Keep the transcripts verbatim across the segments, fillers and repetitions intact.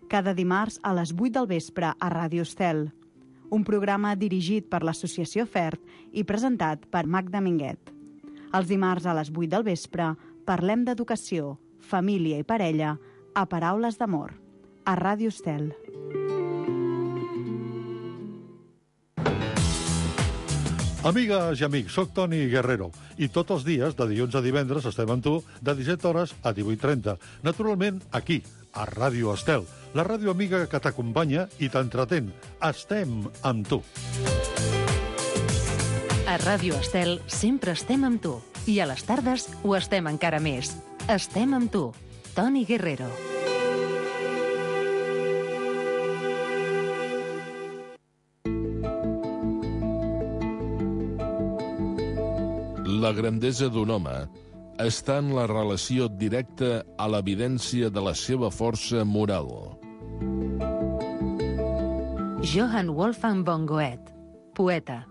cada dimarts a les vuit del vespre a Ràdio Estel. Un programa dirigit per l'Associació FERT i presentat per Magda Minguet. Els dimarts a les vuit del vespre parlem d'educació, família i parella a Paraules d'Amor, a Ràdio Estel. Amigues i amics, soc Toni Guerrero i tots els dies, de dilluns a divendres, estem amb tu de disset hores a divuit trenta. Naturalment, aquí, a Ràdio Estel, la ràdio amiga que t'acompanya i t'entretén. Estem amb tu. A Ràdio Estel sempre estem amb tu. I a les tardes ho estem encara més. Estem amb tu. Toni Guerrero. La grandesa d'un home està en la relació directa a l'evidència de la seva força moral. Johann Wolfgang von Goethe, poeta.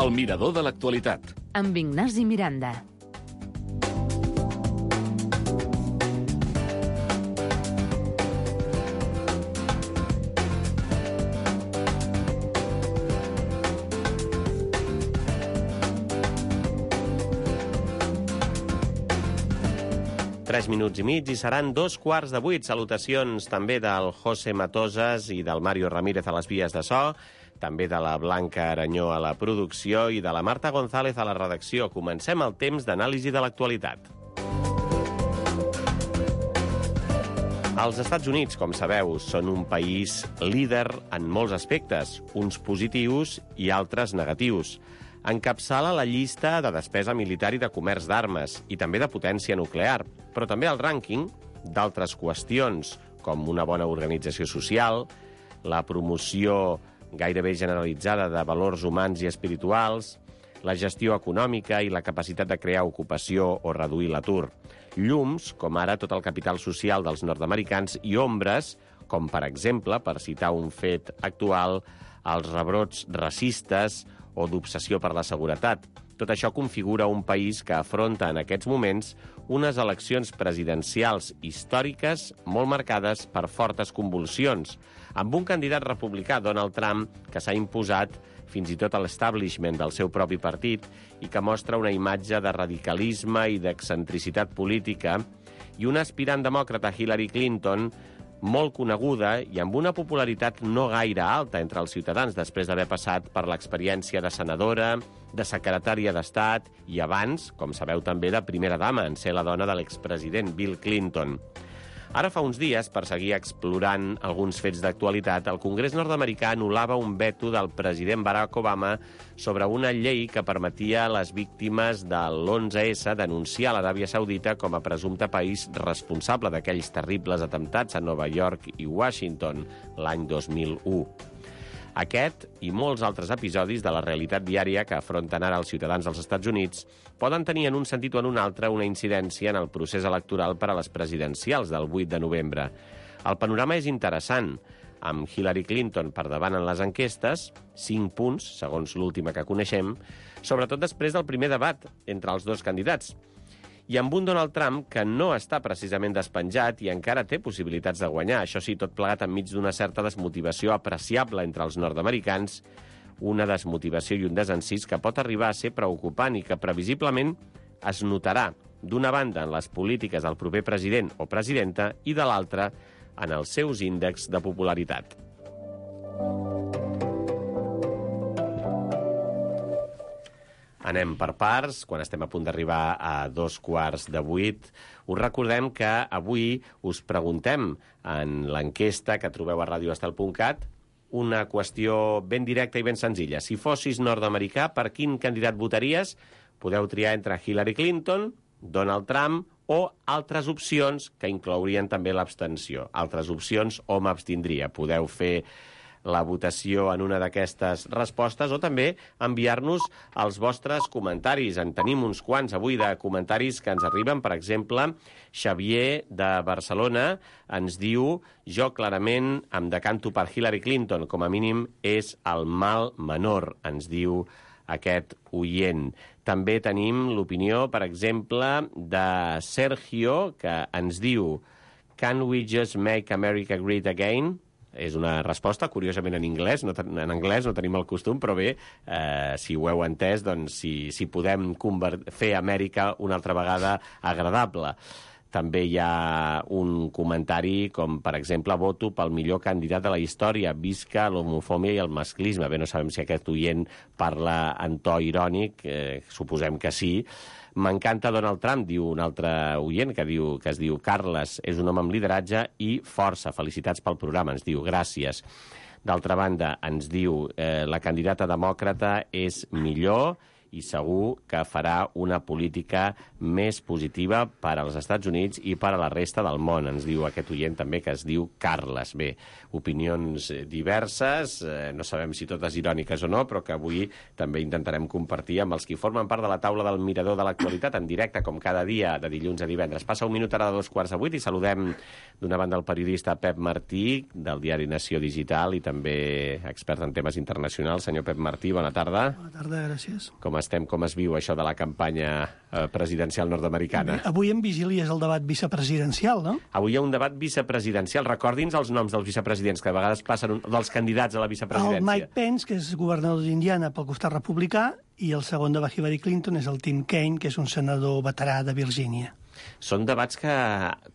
El mirador de l'actualitat. Amb Ignasi Miranda. Tres minuts i mig i seran dos quarts de vuit. Salutacions també del José Matosas i del Mario Ramírez a les vies de so, també de la Blanca Aranyó a la producció i de la Marta González a la redacció. Comencem el temps d'anàlisi de l'actualitat. Els Estats Units, com sabeu, són un país líder en molts aspectes, uns positius i altres negatius. Encapçala la llista de despesa militar i de comerç d'armes, i també de potència nuclear, però també el rànquing d'altres qüestions, com una bona organització social, la promoció gairebé generalitzada de valors humans i espirituals, la gestió econòmica i la capacitat de crear ocupació o reduir l'atur. Llums, com ara tot el capital social dels nord-americans, i ombres, com per exemple, per citar un fet actual, els rebrots racistes o d'obsessió per la seguretat. Tot això configura un país que afronta en aquests moments unes eleccions presidencials històriques molt marcades per fortes convulsions, amb un candidat republicà, Donald Trump, que s'ha imposat fins i tot a l'establishment del seu propi partit i que mostra una imatge de radicalisme i d'excentricitat política, i una aspirant demòcrata, Hillary Clinton, molt coneguda i amb una popularitat no gaire alta entre els ciutadans després d'haver passat per l'experiència de senadora, de secretària d'Estat i abans, com sabeu també, de primera dama, en ser la dona de l'expresident Bill Clinton. Ara fa uns dies, per seguir explorant alguns fets d'actualitat, el Congrés nord-americà anul·lava un veto del president Barack Obama sobre una llei que permetia a les víctimes de l'onze essa denunciar l'Aràbia Saudita com a presumpte país responsable d'aquells terribles atemptats a Nova York i Washington l'any dos mil u. Aquest i molts altres episodis de la realitat diària que afronten ara els ciutadans dels Estats Units poden tenir en un sentit o en un altre una incidència en el procés electoral per a les presidencials del vuit de novembre. El panorama és interessant, amb Hillary Clinton per davant en les enquestes, cinc punts, segons l'última que coneixem, sobretot després del primer debat entre els dos candidats, i amb un Donald Trump que no està precisament despenjat i encara té possibilitats de guanyar. Això sí, tot plegat enmig d'una certa desmotivació apreciable entre els nord-americans, una desmotivació i un desencís que pot arribar a ser preocupant i que previsiblement es notarà, d'una banda, en les polítiques del proper president o presidenta i de l'altra, en els seus índexs de popularitat. Anem per parts, quan estem a punt d'arribar a dos quarts de vuit. Us recordem que avui us preguntem en l'enquesta que trobeu a radioestel punt cat una qüestió ben directa i ben senzilla. Si fossis nord-americà, per quin candidat votaries? Podeu triar entre Hillary Clinton, Donald Trump o altres opcions que inclourien també l'abstenció. Altres opcions o m'abstindria. Podeu fer la votació en una d'aquestes respostes o també enviar-nos els vostres comentaris. En tenim uns quants avui de comentaris que ens arriben. Per exemple, Xavier de Barcelona ens diu: jo clarament em decanto per Hillary Clinton, com a mínim és el mal menor, ens diu aquest oient. També tenim l'opinió, per exemple, de Sergio, que ens diu: Can we just make America great again? És una resposta, curiosament, en anglès. No, en anglès no tenim el costum, però bé, eh, si ho heu entès, doncs si, si podem fer Amèrica una altra vegada agradable. També hi ha un comentari com, per exemple, voto pel millor candidat de la història, visca l'homofòbia i el masclisme. Bé, no sabem si aquest oient parla en to irònic, eh, suposem que sí. M'encanta Donald Trump, diu un altre oient, que, diu, que es diu Carles, és un home amb lideratge i força. Felicitats pel programa, ens diu, gràcies. D'altra banda, ens diu, eh, la candidata demòcrata és millor i segur que farà una política més positiva per als Estats Units i per a la resta del món. Ens diu aquest oient també, que es diu Carles. Bé, opinions diverses, eh, no sabem si totes iròniques o no, però que avui també intentarem compartir amb els que formen part de la taula del Mirador de l'Actualitat en directe, com cada dia, de dilluns a divendres. Passa un minut ara de dos quarts de vuit i saludem d'una banda el periodista Pep Martí, del diari Nació Digital i també expert en temes internacionals. Senyor Pep Martí, bona tarda. Bona tarda, gràcies. Com estem, com es viu això de la campanya eh, presidencial nord-americana? Avui en vigília és el debat vicepresidencial, no? Avui hi ha un debat vicepresidencial. Recordi'ns els noms dels vicepresidents, que a vegades passen, un, dels candidats a la vicepresidència. El Mike Pence, que és governador d'Indiana pel costat republicà, i el segon de la Hillary Clinton és el Tim Kaine, que és un senador veterà de Virgínia. Són debats que,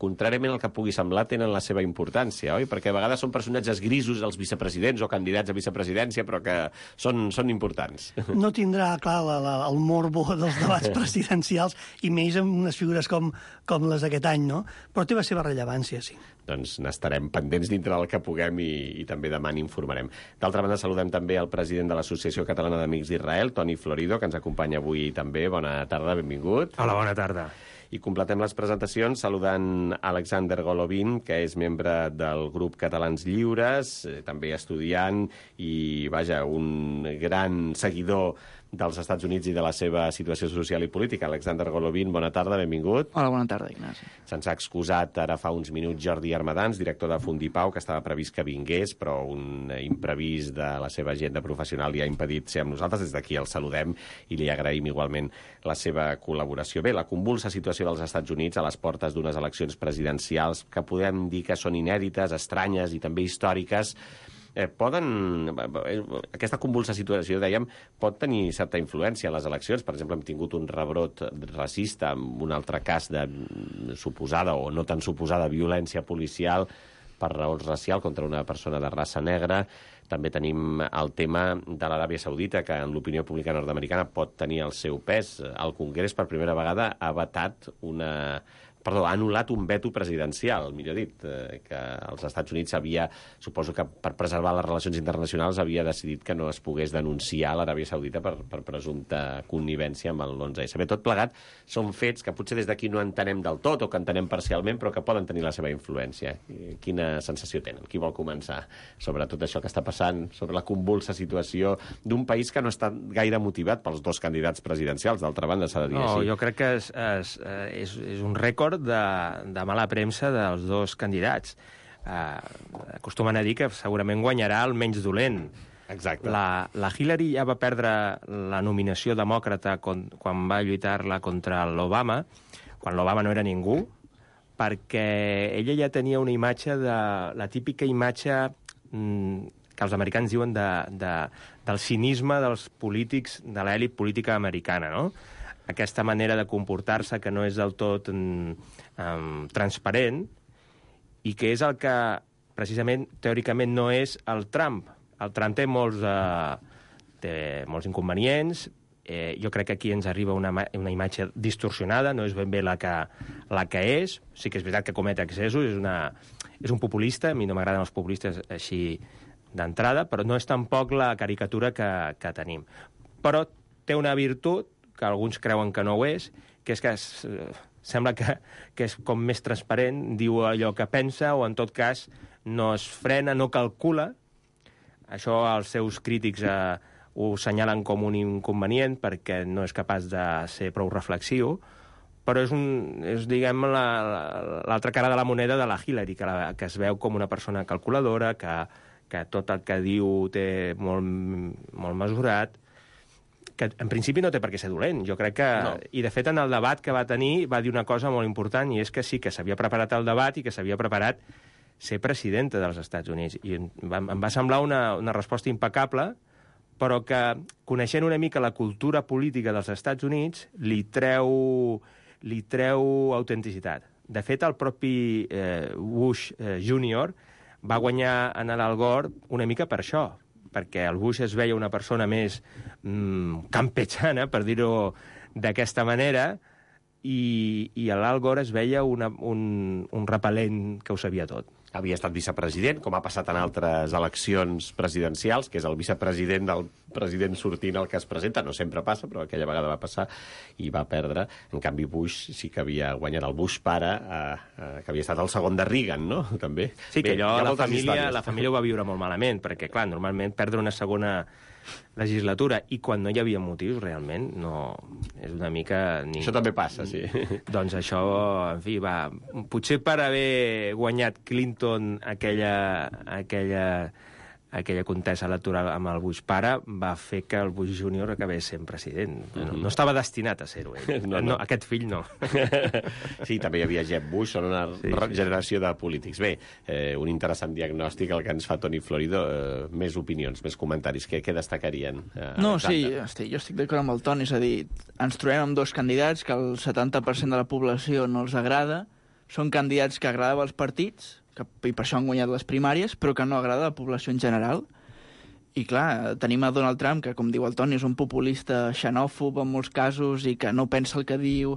contràriament al que pugui semblar, tenen la seva importància, oi? Perquè a vegades són personatges grisos, els vicepresidents o candidats a vicepresidència, però que són, són importants. No tindrà, clar, la, la, el morbo dels debats presidencials, i més amb unes figures com, com les d'aquest any, no? Però té la seva rellevància, sí. Doncs n'estarem pendents dintre del que puguem i, i també demà n'informarem. D'altra banda, saludem també el president de l'Associació Catalana d'Amics d'Israel, Toni Florido, que ens acompanya avui també. Bona tarda, benvingut. Hola, bona tarda. I completem les presentacions saludant Alexander Golovin, que és membre del grup Catalans Lliures, també estudiant i, vaja, un gran seguidor dels Estats Units i de la seva situació social i política. Alexander Golovin, bona tarda, benvingut. Hola, bona tarda, Ignasi. Se'ns ha excusat ara fa uns minuts Jordi Armadans, director de Fundipau, que estava previst que vingués, però un imprevist de la seva agenda professional li ha impedit ser amb nosaltres. Des d'aquí el saludem i li agraïm igualment la seva col·laboració. Bé, la convulsa situació dels Estats Units a les portes d'unes eleccions presidencials que podem dir que són inèdites, estranyes i també històriques, Eh, poden... Aquesta convulsa situació, dèiem, pot tenir certa influència a les eleccions. Per exemple, hem tingut un rebrot racista amb un altre cas de suposada o no tan suposada violència policial per raons racial contra una persona de raça negra. També tenim el tema de l'Aràbia Saudita, que en l'opinió pública nord-americana pot tenir el seu pes. El Congrés, per primera vegada, ha vetat una... Perdó, ha anul·lat un veto presidencial, millor dit, eh, que els Estats Units havia, suposo que per preservar les relacions internacionals, havia decidit que no es pogués denunciar l'Aràbia Saudita per, per presumpta connivència amb l'onze essa. Bé, tot plegat són fets que potser des d'aquí no entenem del tot o que entenem parcialment, però que poden tenir la seva influència. Quina sensació tenen? Qui vol començar sobre tot això que està passant, sobre la convulsa situació d'un país que no està gaire motivat pels dos candidats presidencials? D'altra banda, s'ha de dir no, així. Jo crec que és, és, és, és un rècord De, de mala premsa dels dos candidats. Uh, acostumen a dir que segurament guanyarà el menys dolent. Exacte. La, la Hillary ja va perdre la nominació demòcrata con, quan va lluitar-la contra l'Obama, quan l'Obama no era ningú, perquè ella ja tenia una imatge, de la típica imatge mm, que els americans diuen de, de, del cinisme dels polítics, de l'elit política americana, no? Aquesta manera de comportar-se que no és del tot um, um, transparent i que és el que, precisament, teòricament no és el Trump. El Trump té molts, uh, té molts inconvenients. Eh, jo crec que aquí ens arriba una, una imatge distorsionada, no és ben bé la que, la que és. Sí que és veritat que comet excessos, és, una, és un populista, a mi no m'agraden els populistes així d'entrada, però no és tampoc la caricatura que, que tenim. Però té una virtut que alguns creuen que no ho és, que és que es, eh, sembla que, que és com més transparent, diu allò que pensa, o en tot cas no es frena, no calcula, Això els seus crítics eh, ho assenyalen com un inconvenient perquè no és capaç de ser prou reflexiu, però és, un, és diguem, l'altra cara de la moneda de la Hillary, que, la, que es veu com una persona calculadora, que, que tot el que diu té molt, molt mesurat, que en principi no té per què ser dolent. Jo crec que... No. I, de fet, en el debat que va tenir va dir una cosa molt important, i és que sí, que s'havia preparat el debat i que s'havia preparat ser presidenta dels Estats Units. I em va, em va semblar una, una resposta impecable, però que, coneixent una mica la cultura política dels Estats Units, li treu, li treu autenticitat. De fet, el propi eh, Bush eh, júnior va guanyar en l'Al Gore una mica per això, perquè el Bush es veia una persona més mmm, campechana, per dir-ho d'aquesta manera, i, i l'Al Gore es veia una, un, un repel·lent que ho sabia tot. Havia estat vicepresident, com ha passat en altres eleccions presidencials, que és el vicepresident del president sortint el que es presenta. No sempre passa, però aquella vegada va passar i va perdre. En canvi, Bush sí que havia guanyat, el Bush pare, eh, eh, que havia estat el segon de Reagan, no? També. Sí, que allò la família, la família ho va viure molt malament, perquè, clar, normalment perdre una segona legislatura i quan no hi havia motius, realment, no... És una mica... Ni... Això també passa, sí. Doncs això, en fi, va... Potser per haver guanyat Clinton aquella... aquella aquella contesa electoral amb el Bush pare va fer que el Bush júnior acabés sent president. No, no estava destinat a ser-ho, ell. No, no. No, aquest fill no. Sí, també hi havia Jeb Bush, són una sí, generació sí. de polítics. Bé, eh, un interessant diagnòstic el que ens fa Toni Florido. Eh, més opinions, més comentaris. Què, què destacarien? Eh, no, sí, estic, jo estic d'acord amb el Toni. És a dir, ens trobem amb dos candidats que el setanta per cent de la població no els agrada. Són candidats que agraden als partits, que, i per això han guanyat les primàries, però que no agrada a la població en general. I clar, tenim a Donald Trump, que com diu el Toni, és un populista xenòfob en molts casos i que no pensa el que diu,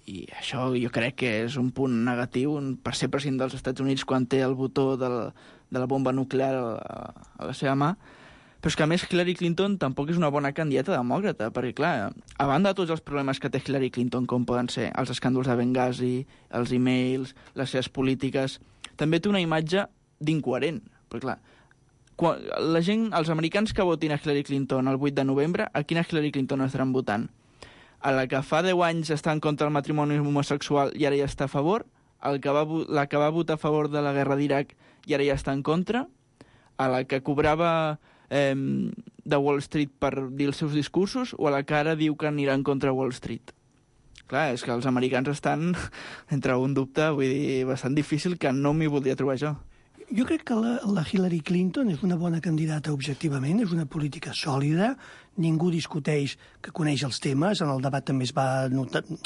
i això jo crec que és un punt negatiu per ser president dels Estats Units quan té el botó de la, de la bomba nuclear a, a la seva mà. Però és que, a més, Hillary Clinton tampoc és una bona candidata demòcrata, perquè, clar, a banda de tots els problemes que té Hillary Clinton, com poden ser els escàndols de Benghazi, els e-mails, les seves polítiques, també té una imatge d'incoherent. Perquè, clar, quan la gent, els americans que votin a Hillary Clinton el vuit de novembre, a quina Hillary Clinton estaran votant? A la que fa deu anys està en contra del matrimoni homosexual i ara ja està a favor? A la que va, la que va votar a favor de la guerra d'Iraq i ara ja està en contra? A la que cobrava eh, de Wall Street per dir els seus discursos, o a la que ara diu que anirà en contra Wall Street? Clar, és que els americans estan entre un dubte, vull dir, bastant difícil, que no m'hi voldria trobar jo. Jo crec que la, la Hillary Clinton és una bona candidata objectivament, és una política sòlida, ningú discuteix que coneix els temes, en el debat també es va notar el,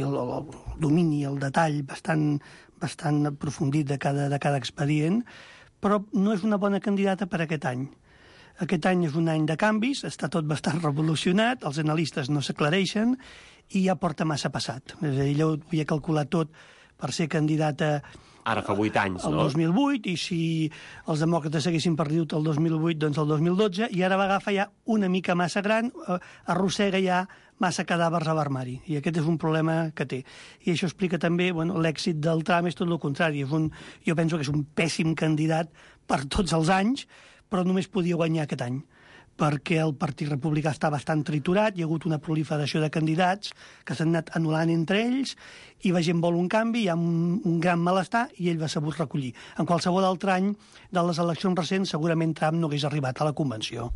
el, el domini, el detall bastant, bastant aprofundit de cada, de cada expedient, però no és una bona candidata per aquest any. Aquest any és un any de canvis, està tot bastant revolucionat, els analistes no s'aclareixen i ja porta massa passat. És a dir, ella ho havia calculat tot per ser candidata ara fa vuit anys, el no? dos mil vuit, i si els demòcrates haguessin perdut el dos mil vuit, doncs el dos mil dotze, i ara va agafar ja una mica massa gran, arrossega ja massa cadàvers a l'armari, i aquest és un problema que té. I això explica també, bueno, l'èxit del Trump és tot el contrari. És un, jo penso que és un pèssim candidat per tots els anys, però només podia guanyar aquest any, perquè el Partit Republicà està bastant triturat, hi ha hagut una proliferació de candidats que s'han anat anul·lant entre ells, i la gent vol un canvi, hi ha un, un gran malestar, i ell va sabut recollir. En qualsevol altre any de les eleccions recents, segurament Trump no hagués arribat a la convenció.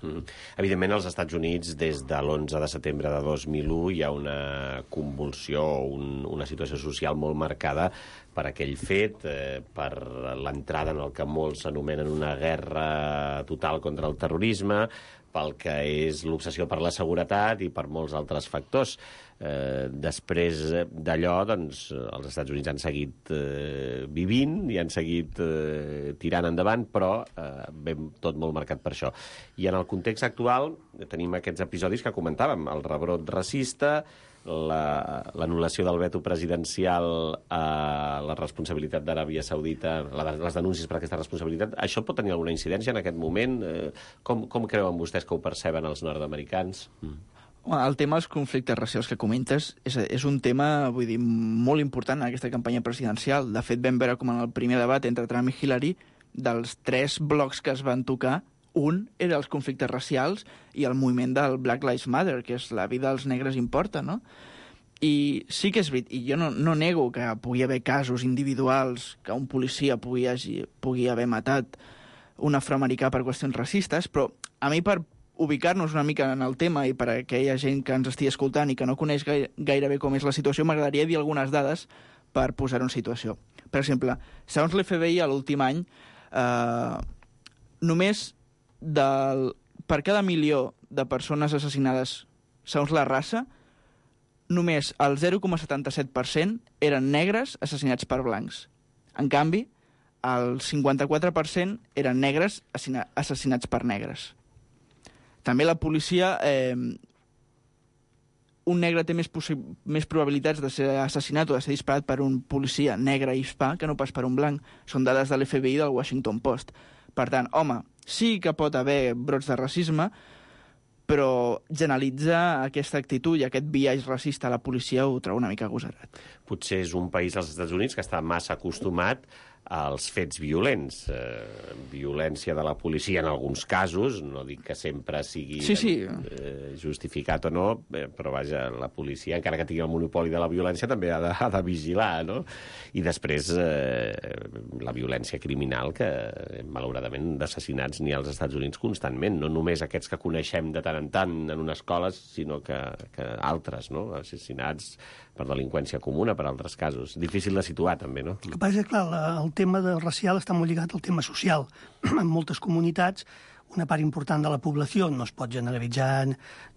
Mm. Evidentment, als Estats Units, des de l'onze de setembre de dos mil u, hi ha una convulsió, un, una situació social molt marcada per aquell fet, eh, per l'entrada en el que molts anomenen una guerra total contra el terrorisme, pel que és l'obsessió per la seguretat i per molts altres factors. Eh, després d'allò, doncs, els Estats Units han seguit eh, vivint i han seguit eh, tirant endavant, però eh, ben tot molt marcat per això. I en el context actual tenim aquests episodis que comentàvem, el rebrot racista, l'anul·lació del veto presidencial a la responsabilitat d'Aràbia Saudita, la, les denúncies per aquesta responsabilitat. Això pot tenir alguna incidència en aquest moment? Eh, com, com creuen vostès que ho perceben els nord-americans? Mm. El tema dels conflictes racials que comentes és, és un tema, vull dir, molt important en aquesta campanya presidencial. De fet, vam veure com en el primer debat entre Trump i Hillary, dels tres blocs que es van tocar, Un era els conflictes racials i el moviment del Black Lives Matter, que és la vida dels negres importa, no? I sí que és veritat, i jo no, no nego que pugui haver casos individuals, que un policia pugui, hagi, pugui haver matat un afroamericà per qüestions racistes, però a mi, per ubicar-nos una mica en el tema i per a aquella gent que ens estigui escoltant i que no coneix gaire, gairebé com és la situació, m'agradaria dir algunes dades per posar-ho en situació. Per exemple, segons l'F B I, a l'últim any, eh, només del, per cada milió de persones assassinades segons la raça, només el zero coma setanta-set per cent eren negres assassinats per blancs. En canvi, el cinquanta-quatre per cent eren negres assassinats per negres. També la policia... Eh, un negre té més, més probabilitats de ser assassinat o de ser disparat per un policia negre i hispà que no pas per un blanc. Són dades de l'F B I del Washington Post. Per tant, home, sí que pot haver brots de racisme, però generalitzar aquesta actitud i aquest biaix racista a la policia ho trobo una mica agosarat. Potser és un país, als Estats Units, que està massa acostumat als fets violents. Eh, violència de la policia en alguns casos, no dic que sempre sigui sí, sí. Eh, justificat o no, eh, però vaja, la policia, encara que tingui el monopoli de la violència, també ha de, ha de vigilar, no? I després eh, la violència criminal, que malauradament d'assassinats n'hi ha als Estats Units constantment, no només aquests que coneixem de tant en tant en unes escoles, sinó que, que altres, no? Assassinats per delinqüència comuna, per altres casos. Difícil de situar, també, no? El que passa és que, clar, el tema de racial està molt lligat al tema social. En moltes comunitats, una part important de la població, no es pot generalitzar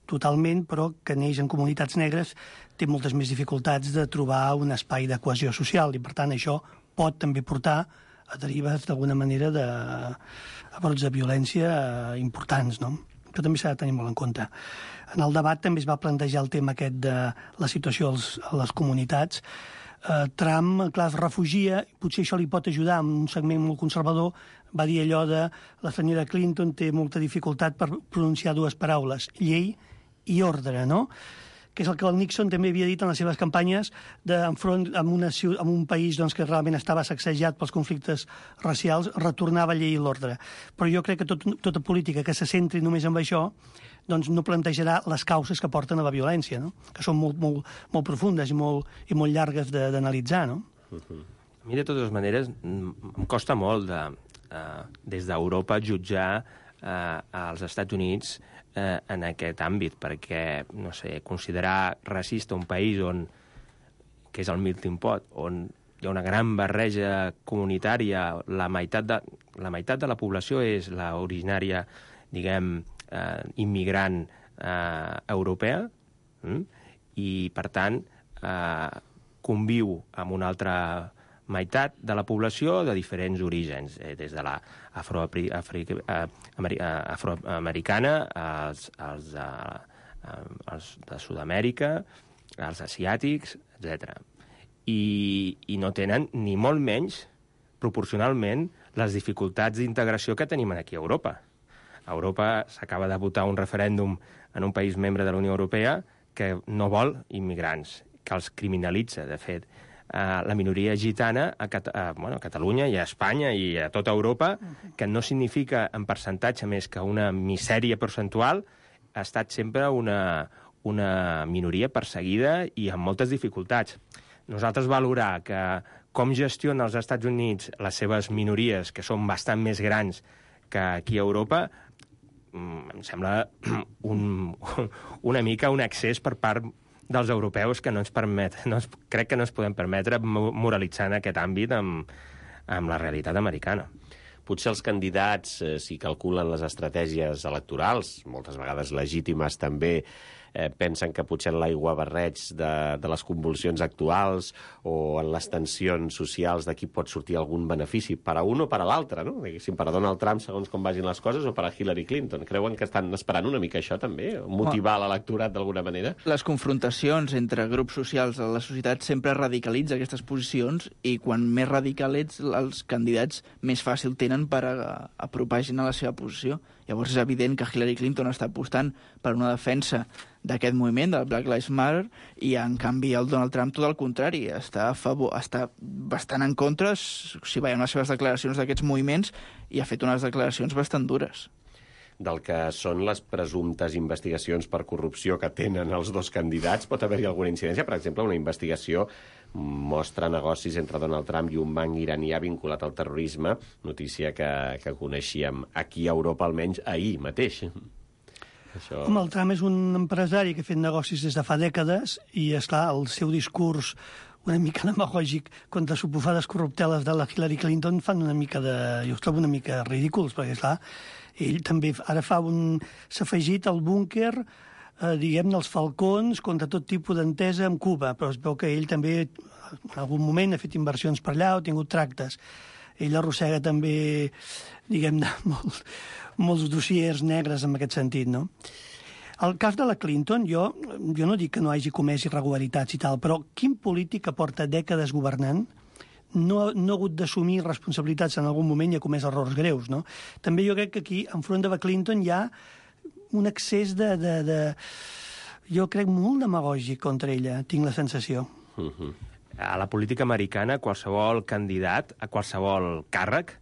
totalment, però que neix en comunitats negres, té moltes més dificultats de trobar un espai de cohesió social, i per tant això pot també portar a derives d'alguna manera de a brots de violència importants, no? Això també s'ha de tenir molt en compte. En el debat també es va plantejar el tema aquest de la situació als, a les comunitats. Eh, Trump, clar, es refugia, potser això li pot ajudar, en un segment molt conservador, va dir allò de la senyora Clinton té molta dificultat per pronunciar dues paraules, llei i ordre, no? Que és el que el Nixon també havia dit en les seves campanyes de, enfront amb, una, amb un país doncs, que realment estava sacsejat pels conflictes racials, retornava llei i l'ordre. Però jo crec que tot, tota política que se centri només en això doncs no plantejarà les causes que porten a la violència, no? Que són molt, molt, molt profundes i molt, i molt llargues d'analitzar, no? Uh-huh. A mi, de totes maneres, em costa molt de, uh, des d'Europa jutjar uh, als Estats Units eh, en aquest àmbit, perquè, no sé, considerar racista un país on, que és el melting pot, on hi ha una gran barreja comunitària, la meitat de la, meitat de la població és la originària, diguem, eh, immigrant eh, europea, mm? I, per tant, eh, conviu amb una altra meitat de la població de diferents orígens, eh, des de la afroafri, afri, eh, ameri, eh, afroamericana als, als, eh, als de Sud-amèrica, als asiàtics, etcètera. I, I no tenen, ni molt menys, proporcionalment, les dificultats d'integració que tenim aquí a Europa. A Europa s'acaba de votar un referèndum en un país membre de la Unió Europea que no vol immigrants, que els criminalitza, de fet. Uh, la minoria gitana a, Cat uh, bueno, a Catalunya i a Espanya i a tota Europa, que no significa en percentatge més que una misèria percentual, ha estat sempre una, una minoria perseguida i amb moltes dificultats. Nosaltres valorar que com gestiona els Estats Units les seves minories, que són bastant més grans que aquí a Europa, em sembla un, una mica un excés per part dels europeus que no ens permet, no ens, crec que no ens podem permetre moralitzar en aquest àmbit amb, amb la realitat americana. Potser els candidats, eh, si calculen les estratègies electorals, moltes vegades legítimes també, eh, pensen que potser en l'aiguabarreig de, de les convulsions actuals o en les tensions socials d'aquí pot sortir algun benefici per a un o per a l'altre, no? Diguéssim, per a Donald Trump, segons com vagin les coses, o per a Hillary Clinton. Creuen que estan esperant una mica això, també? Motivar l'electorat d'alguna manera? Les confrontacions entre grups socials de la societat sempre radicalitza aquestes posicions i quan més radical ets, els candidats més fàcil tenen per a, a apropar gent a la seva posició. Llavors és evident que Hillary Clinton està apostant per una defensa d'aquest moviment, del Black Lives Matter, i en canvi el Donald Trump tot el contrari, està a favor, està bastant en contra, si veiem les seves declaracions d'aquests moviments, i ha fet unes declaracions bastant dures. del que són les presumptes investigacions per corrupció que tenen els dos candidats. Pot haver-hi alguna incidència? Per exemple, una investigació mostra negocis entre Donald Trump i un banc iranià vinculat al terrorisme, notícia que, que coneixíem aquí a Europa almenys ahir mateix. Això... Home, el Trump és un empresari que ha fet negocis des de fa dècades i, esclar, el seu discurs una mica demagògic contra suposades corrupteles de la Hillary Clinton fan una mica de... jo els trobo una mica ridículs, perquè, esclar, ell també ara fa un... s'ha afegit al búnquer, eh, diguem-ne, els falcons contra tot tipus d'entesa amb Cuba, però es veu que ell també en algun moment ha fet inversions per allà o ha tingut tractes. Ell arrossega també, diguem-ne, molts, molts dossiers negres en aquest sentit, no? El cas de la Clinton, jo, jo no dic que no hagi comès irregularitats i tal, però quin polític que porta dècades governant no, no ha hagut d'assumir responsabilitats en algun moment i ha comès errors greus, no? També jo crec que aquí, enfront de la Clinton, hi ha un excés de... de, de jo crec molt demagògic contra ella, tinc la sensació. Uh-huh. A la política americana, qualsevol candidat a qualsevol càrrec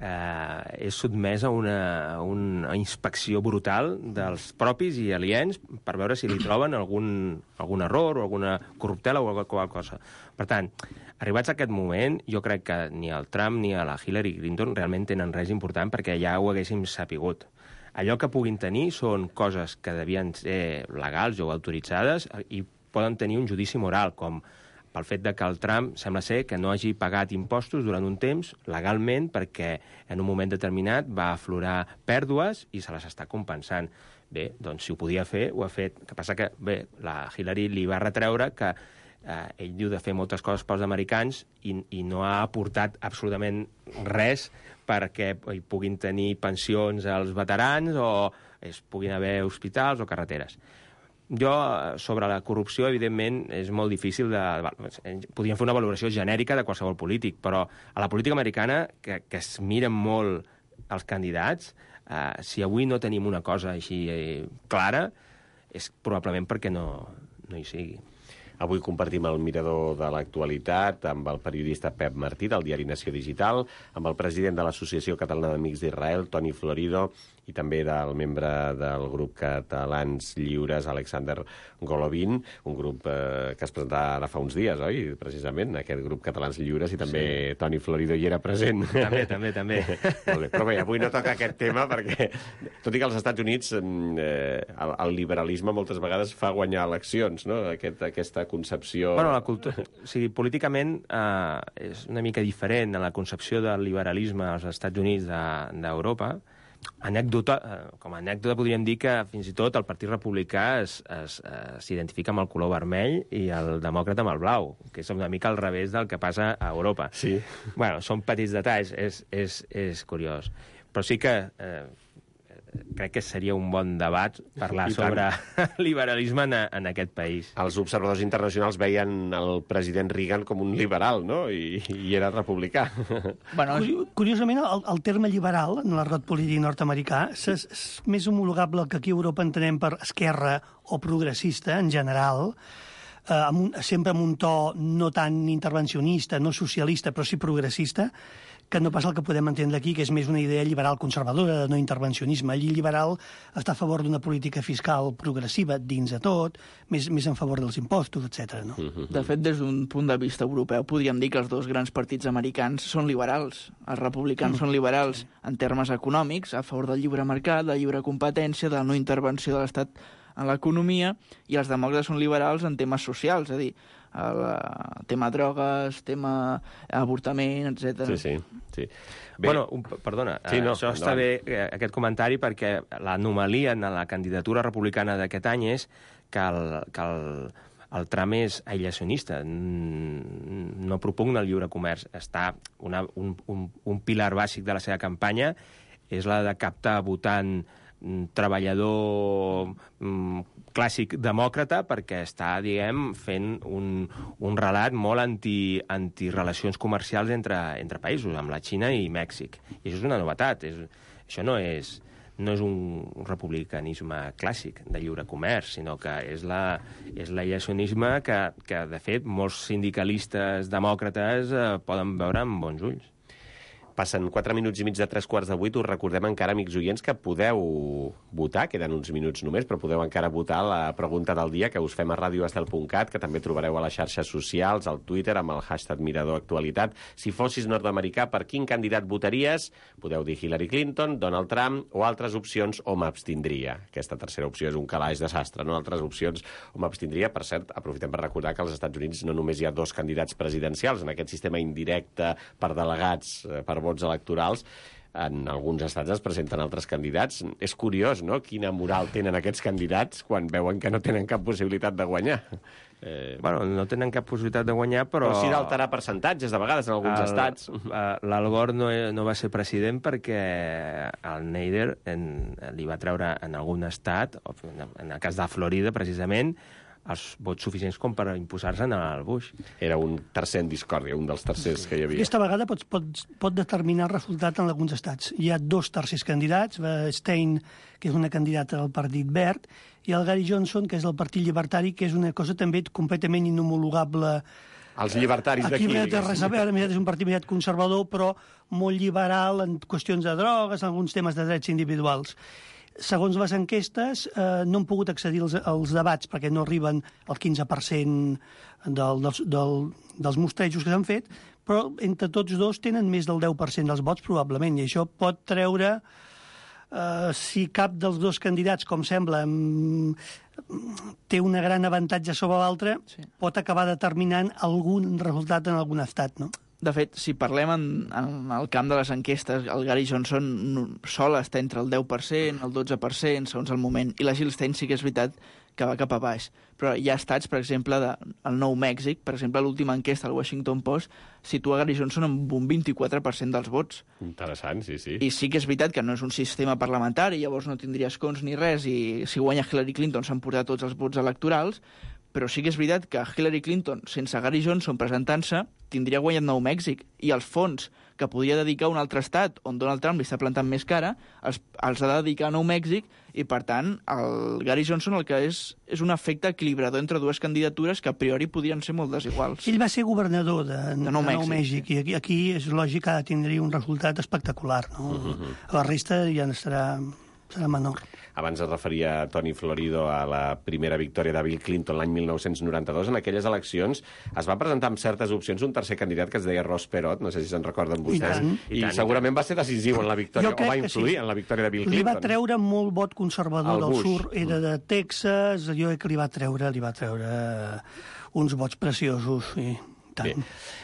eh, és sotmès a una, a una inspecció brutal dels propis i aliens per veure si li troben algun, algun error o alguna corruptela o qualsevol cosa. Per tant, arribats a aquest moment, jo crec que ni el Trump ni a la Hillary Clinton realment tenen res important perquè ja ho haguéssim sapigut. Allò que puguin tenir són coses que devien ser legals o autoritzades i poden tenir un judici moral, com pel fet de que el Trump sembla ser que no hagi pagat impostos durant un temps legalment perquè en un moment determinat va aflorar pèrdues i se les està compensant. Bé, doncs si ho podia fer, ho ha fet. El que passa que, bé, la Hillary li va retreure que eh, ell diu de fer moltes coses pels americans i, i no ha aportat absolutament res perquè hi puguin tenir pensions als veterans o es puguin haver hospitals o carreteres. Jo, sobre la corrupció, evidentment, és molt difícil de... Podríem fer una valoració genèrica de qualsevol polític, però a la política americana, que, que es miren molt els candidats, eh, si avui no tenim una cosa així eh, clara, és probablement perquè no, no hi sigui. Avui compartim el mirador de l'actualitat amb el periodista Pep Martí, del diari Nació Digital, amb el president de l'Associació Catalana d'Amics d'Israel, Toni Florido, i també del membre del grup Catalans Lliures, Alexander Golovin, un grup eh, que es presentava ara fa uns dies, oi? Precisament, aquest grup Catalans Lliures, i també sí. Toni Florido hi era present. També, també, també. Molt bé, però bé, avui no toca aquest tema perquè, tot i que als Estats Units eh, el, el liberalisme moltes vegades fa guanyar eleccions, no? Aquest, aquesta concepció... Bueno, la cultura... O sigui, políticament eh, és una mica diferent en la concepció del liberalisme als Estats Units d'Europa. De, Anècdota, com a anècdota podríem dir que fins i tot el Partit Republicà s'identifica amb el color vermell i el demòcrata amb el blau, que és una mica al revés del que passa a Europa. Sí. Bueno, són petits detalls, és, és, és curiós. Però sí que eh, crec que seria un bon debat parlar sobre liberalisme en, en aquest país. Els observadors internacionals veien el president Reagan com un liberal, no? I, i era republicà. Bueno, curiosament, el, el terme liberal en l'argot polític nord-americà és, és més homologable que aquí a Europa entenem per esquerra o progressista, en general, eh, amb un, sempre amb un to no tan intervencionista, no socialista, però sí progressista, que no pas el que podem entendre aquí, que és més una idea liberal conservadora, de no intervencionisme. Allí liberal està a favor d'una política fiscal progressiva dins de tot, més, més en favor dels impostos, etcètera. No? De fet, des d'un punt de vista europeu, podríem dir que els dos grans partits americans són liberals. Els republicans mm. són liberals en termes econòmics, a favor del lliure mercat, de la lliure competència, de la no intervenció de l'Estat en l'economia, i els demòcrates són liberals en temes socials, és a dir, el tema drogues, tema avortament, etcètera. Sí, sí. sí. Bé. Bueno, un, perdona, sí, no, això està bé, aquest comentari, perquè l'anomalia en la candidatura republicana d'aquest any és que el, que el, el Trump és aïllacionista, no propugna el lliure comerç. Està una, un, un, un pilar bàsic de la seva campanya és la de captar votant treballador mm, clàssic demòcrata, perquè està, diguem, fent un, un relat molt anti, anti-relacions comercials entre, entre països, amb la Xina i Mèxic. I això és una novetat. És, això no és, no és un republicanisme clàssic de lliure comerç, sinó que és la, és l'aïllacionisme que, que, de fet, molts sindicalistes demòcrates eh, poden veure amb bons ulls. Passen quatre minuts i mig de tres quarts de vuit. Us recordem encara, amics oients, que podeu votar, queden uns minuts només, però podeu encara votar la pregunta del dia que us fem a radio estel punt cat, que també trobareu a les xarxes socials, al Twitter, amb el hashtag Mirador Actualitat. Si fossis nord-americà, per quin candidat votaries? Podeu dir Hillary Clinton, Donald Trump o altres opcions, o m'abstindria. Aquesta tercera opció és un calaix desastre, no? Altres opcions, o m'abstindria. Per cert, aprofitem per recordar que als Estats Units no només hi ha dos candidats presidencials, en aquest sistema indirecte per delegats, per vots electorals, en alguns estats es presenten altres candidats. És curiós, no?, quina moral tenen aquests candidats quan veuen que no tenen cap possibilitat de guanyar. Eh... Bueno, no tenen cap possibilitat de guanyar, però... Però sí d'alterar percentatges, de vegades, en alguns el, estats. L'Al Gore no, no va ser president perquè el Nader en, li va treure en algun estat, en el cas de Florida, precisament, els vots suficients com per imposar-se'n al Bush. Era un tercer en discòrdia, un dels tercers que hi havia. Aquesta vegada pot, pot, pot determinar el resultat en alguns estats. Hi ha dos tercers candidats, Stein, que és una candidata del Partit Verd, i el Gary Johnson, que és del Partit Llibertari, que és una cosa també completament inhomologable. Els llibertaris d'aquí. Aquí no té res a veure, és un partit més conservador, però molt liberal en qüestions de drogues, en alguns temes de drets individuals. Segons les enquestes, eh, no han pogut accedir als, als debats perquè no arriben al quinze per cent del, dels, del, dels mostrejos que s'han fet, però entre tots dos tenen més del deu per cent dels vots, probablement, i això pot treure, eh, si cap dels dos candidats, com sembla, té un gran avantatge sobre l'altre, sí, pot acabar determinant algun resultat en algun estat, no? De fet, si parlem en, en el camp de les enquestes, el Gary Johnson sol està entre el deu per cent, el dotze per cent, segons el moment, i la Jill Stein sí que és veritat que va cap a baix. Però hi ha estats, per exemple, de, el Nou Mèxic, per exemple, l'última enquesta del Washington Post situa Gary Johnson amb un vint-i-quatre per cent dels vots. Interessant, sí, sí. I sí que és veritat que no és un sistema parlamentari, llavors no tindria escons ni res, i si guanya Hillary Clinton s'han portat tots els vots electorals, però sí que és veritat que Hillary Clinton, sense Gary Johnson presentant-se, tindria guanyat Nou Mèxic, i els fons que podia dedicar a un altre estat on Donald Trump li està plantant més cara, els, els ha de dedicar a Nou Mèxic, i per tant el Gary Johnson el que és és un efecte equilibrador entre dues candidatures que a priori podrien ser molt desiguals. Ell va ser governador de, de, Nou, de Mèxic, Nou Mèxic, i aquí, aquí és lògic que tindria un resultat espectacular, no? Uh-huh. La resta ja estarà, serà menor. Abans es referia a Toni Florido a la primera victòria de Bill Clinton l'any mil nou-cents noranta-dos. En aquelles eleccions es va presentar amb certes opcions un tercer candidat que es deia Ross Perot, no sé si se'n recorden vostès, i, i, I segurament va ser decisiu en la victòria, o va influir sí. en la victòria de Bill Clinton. Li va treure molt vot conservador del sur, era de Texas, jo crec que li va treure, li va treure uns vots preciosos, sí. Bé.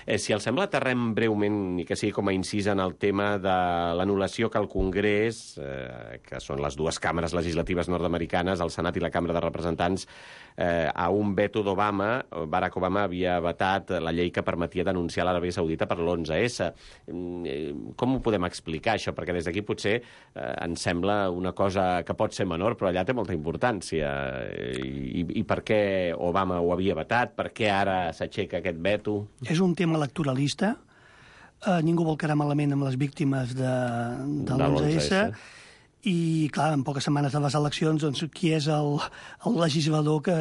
Eh, si els sembla, aterrem breument, ni que sigui com a incís, en el tema de l'anul·lació que el Congrés, eh, que són les dues càmeres legislatives nord-americanes, el Senat i la Cambra de Representants, eh, a un veto d'Obama. Barack Obama havia vetat la llei que permetia denunciar l'Aràbia Saudita per l'onze essa. Eh, com ho podem explicar, això? Perquè des d'aquí potser eh, ens sembla una cosa que pot ser menor, però allà té molta importància. Eh, i, I per què Obama ho havia vetat? Per què ara s'aixeca aquest veto? És un tema electoralista. Uh, ningú vol quedar malament amb les víctimes de, de l'onze essa. I, clar, en poques setmanes de les eleccions, doncs, qui és el, el legislador que,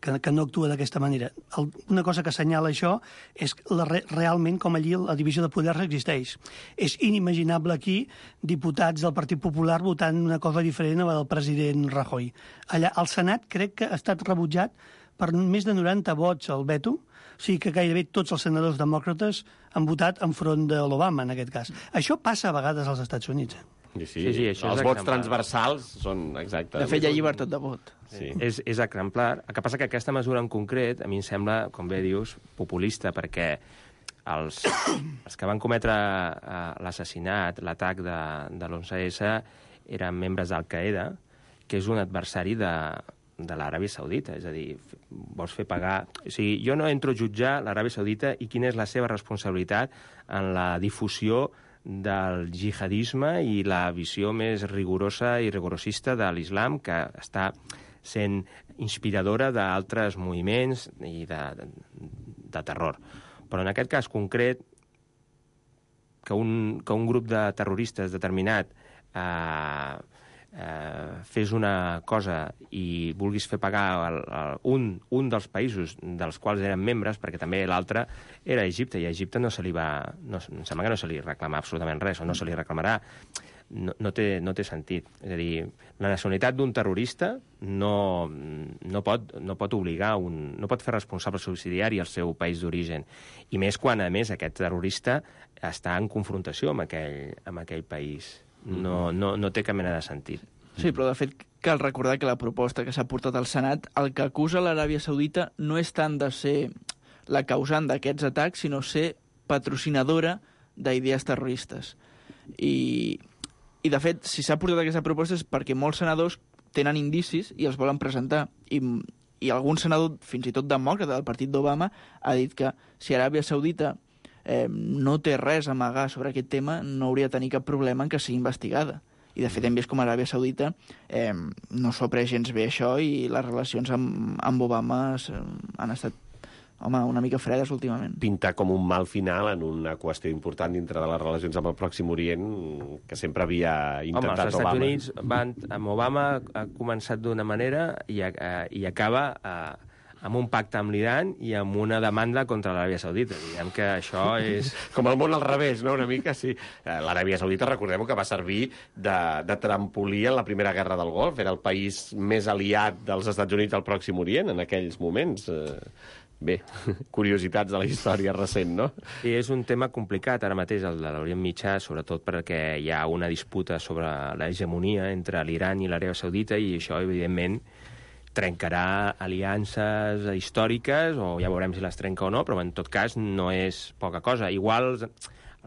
que, que no actua d'aquesta manera? El, una cosa que assenyala això és la, realment com allí la divisió de poders existeix. És inimaginable aquí diputats del Partit Popular votant una cosa diferent a la del president Rajoy. Allà, al Senat crec que ha estat rebutjat per més de noranta vots al veto, o sigui que gairebé tots els senadors demòcrates han votat enfront de l'Obama, en aquest cas. Això passa a vegades als Estats Units. Sí, sí, sí, sí, això els vots transversals són exactes. De fet, hi ha llibertat de vot. Sí. És, és exemplar. El que passa que aquesta mesura en concret, a mi em sembla, com bé dius, populista, perquè els, els que van cometre uh, l'assassinat, l'atac de, de l'onze essa, eren membres d'Al-Qaeda, que és un adversari de, de l'Aràbia Saudita. És a dir, vols fer pagar... O sigui, jo no entro a jutjar l'Aràbia Saudita i quina és la seva responsabilitat en la difusió del jihadisme i la visió més rigorosa i rigorosista de l'islam, que està sent inspiradora d'altres moviments i de, de, de terror. Però en aquest cas concret, que un, que un grup de terroristes determinat eh, eh, fes una cosa i vulguis fer pagar el, el, un, un dels països dels quals eren membres, perquè també l'altre era Egipte, i a Egipte no se li va... No, em sembla que no se li reclama absolutament res, o no se li reclamarà. No, no, té, no té sentit. És a dir, la nacionalitat d'un terrorista no, no, pot, no pot obligar, un, no pot fer responsable subsidiari al seu país d'origen. I més quan, a més, aquest terrorista està en confrontació amb aquell, amb aquell país. No, no, no té cap mena de sentit. Sí, però de fet cal recordar que la proposta que s'ha portat al Senat, el que acusa l'Aràbia Saudita no és tant de ser la causant d'aquests atacs, sinó ser patrocinadora d'idees terroristes. I, i de fet, si s'ha portat aquesta proposta és perquè molts senadors tenen indicis i els volen presentar. I, i algun senador, fins i tot demòcrata del partit d'Obama, ha dit que si Aràbia Saudita eh, no té res a amagar sobre aquest tema, no hauria de tenir cap problema en que sigui investigada. I, de fet, hem vist com Aràbia Saudita eh, no s'ho ha pres gens bé això i les relacions amb, amb Obama han estat, home, una mica fredes últimament. Pinta com un mal final en una qüestió important dintre de les relacions amb el Pròxim Orient que sempre havia intentat Obama. Home, els Estats Obama. Units van, amb Obama ha començat d'una manera i, eh, i acaba... Eh, amb un pacte amb l'Iran i amb una demanda contra l'Aràbia Saudita. Diguem que això és... Com el món al revés, no? Una mica, sí. L'Aràbia Saudita, recordem que va servir de, de trampolí en la Primera Guerra del Golf. Era el país més aliat dels Estats Units al Pròxim Orient en aquells moments. Bé, curiositats de la història recent, no? I és un tema complicat ara mateix, el de l'Orient Mitjà, sobretot perquè hi ha una disputa sobre l'hegemonia entre l'Iran i l'Aràbia Saudita i això, evidentment, trencarà aliances històriques, o ja veurem si les trenca o no, però en tot cas no és poca cosa. Igual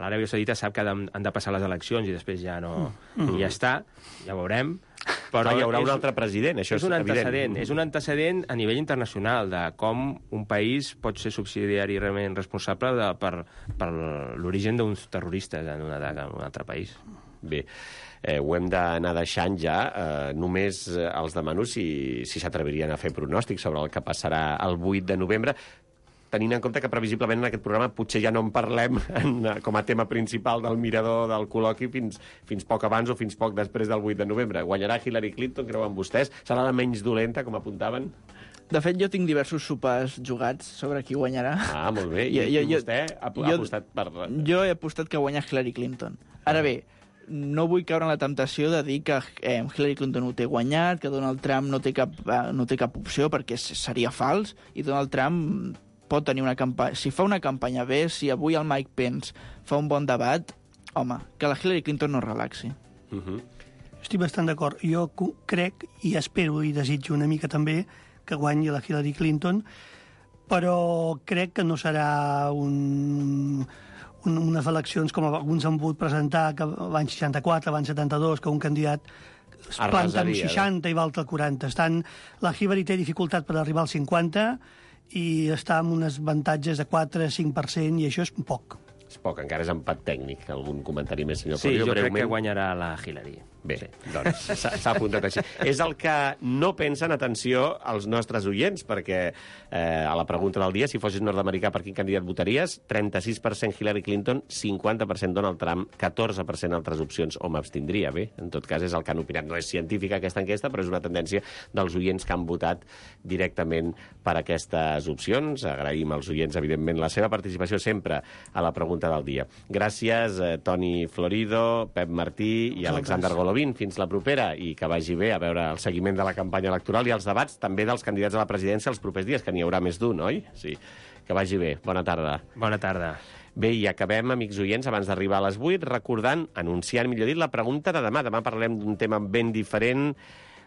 l'Aràbia Saudita sap que han de passar les eleccions i després ja no... Mm. I ja està, ja veurem. Però hi haurà és, un altre president, això és, és un evident. Antecedent, és un antecedent a nivell internacional de com un país pot ser subsidiari realment responsable de, per, per l'origen d'uns terroristes en, una, en un altre país. Bé, eh, ho hem d'anar deixant ja. Eh, només eh, els demano si si s'atrevirien a fer pronòstics sobre el que passarà el vuit de novembre, tenint en compte que previsiblement en aquest programa potser ja no en parlem en, com a tema principal del mirador del col·loqui fins, fins poc abans o fins poc després del vuit de novembre. Guanyarà Hillary Clinton, creuen vostès? Serà la menys dolenta, com apuntaven? De fet, jo tinc diversos sopars jugats sobre qui guanyarà. Ah, molt bé. I, jo, jo, vostè ha, ha jo, apostat per... Jo he apostat que guanya Hillary Clinton. Ara bé, no vull caure en la temptació de dir que eh, Hillary Clinton ho té guanyat, que Donald Trump no té cap, eh, no té cap opció, perquè seria fals, i Donald Trump pot tenir una campanya... Si fa una campanya bé, si avui el Mike Pence fa un bon debat, home, que la Hillary Clinton no es relaxi. Uh -huh. Estic bastant d'acord. Jo crec, i espero i desitjo una mica també, que guanyi la Hillary Clinton, però crec que no serà un... unes eleccions com alguns han volgut presentar, que l'any seixanta-quatre, l'any setanta-dos, que un candidat es planta amb seixanta i l'altre al quaranta. Estan, la Hillary té dificultat per arribar al cinquanta i està amb uns avantatges de quatre a cinc per cent, i això és poc. És poc, encara és empat tècnic. Algun comentari més, senyor Sí, Florio, jo breument. crec que guanyarà la Hillary. Bé, sí. doncs s'ha apuntat així. És el que no pensen, atenció, els nostres oients, perquè eh, a la pregunta del dia, si fossis nord-americà, per quin candidat votaries? trenta-sis per cent Hillary Clinton, cinquanta per cent Donald Trump, catorze per cent altres opcions, o m'abstindria. Bé, en tot cas és el que han opinat. No és científica aquesta enquesta, però és una tendència dels oients que han votat directament per aquestes opcions. Agraïm als oients, evidentment, la seva participació sempre a la pregunta del dia. Gràcies, eh, Toni Florido, Pep Martí i Alexander Golovin. Fins la propera, i que vagi bé a veure el seguiment de la campanya electoral i els debats també dels candidats a la presidència els propers dies, que n'hi haurà més d'un, oi? Sí. Que vagi bé. Bona tarda. Bona tarda. Bé, i acabem, amics oients, abans d'arribar a les vuit, recordant, anunciant, millor dit, la pregunta de demà. Demà parlem d'un tema ben diferent,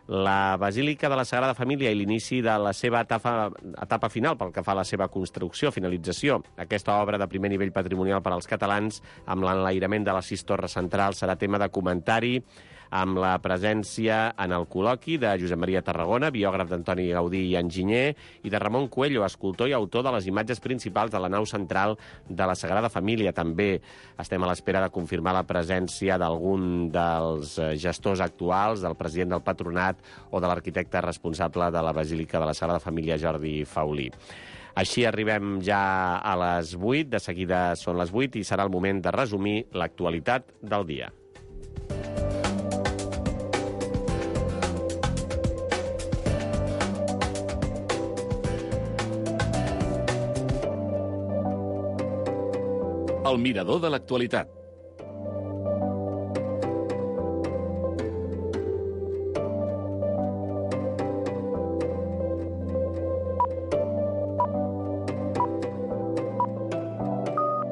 la Basílica de la Sagrada Família i l'inici de la seva etapa, etapa final pel que fa a la seva construcció, finalització. Aquesta obra de primer nivell patrimonial per als catalans, amb l'enlairament de les sis torres centrals, serà tema de comentari amb la presència en el col·loqui de Josep Maria Tarragona, biògraf d'Antoni Gaudí i enginyer, i de Ramon Coelho, escultor i autor de les imatges principals de la nau central de la Sagrada Família. També estem a l'espera de confirmar la presència d'algun dels gestors actuals, del president del Patronat o de l'arquitecte responsable de la Basílica de la Sagrada Família, Jordi Faulí. Així arribem ja a les vuit, de seguida són les vuit i serà el moment de resumir l'actualitat del dia. El mirador de l'actualitat.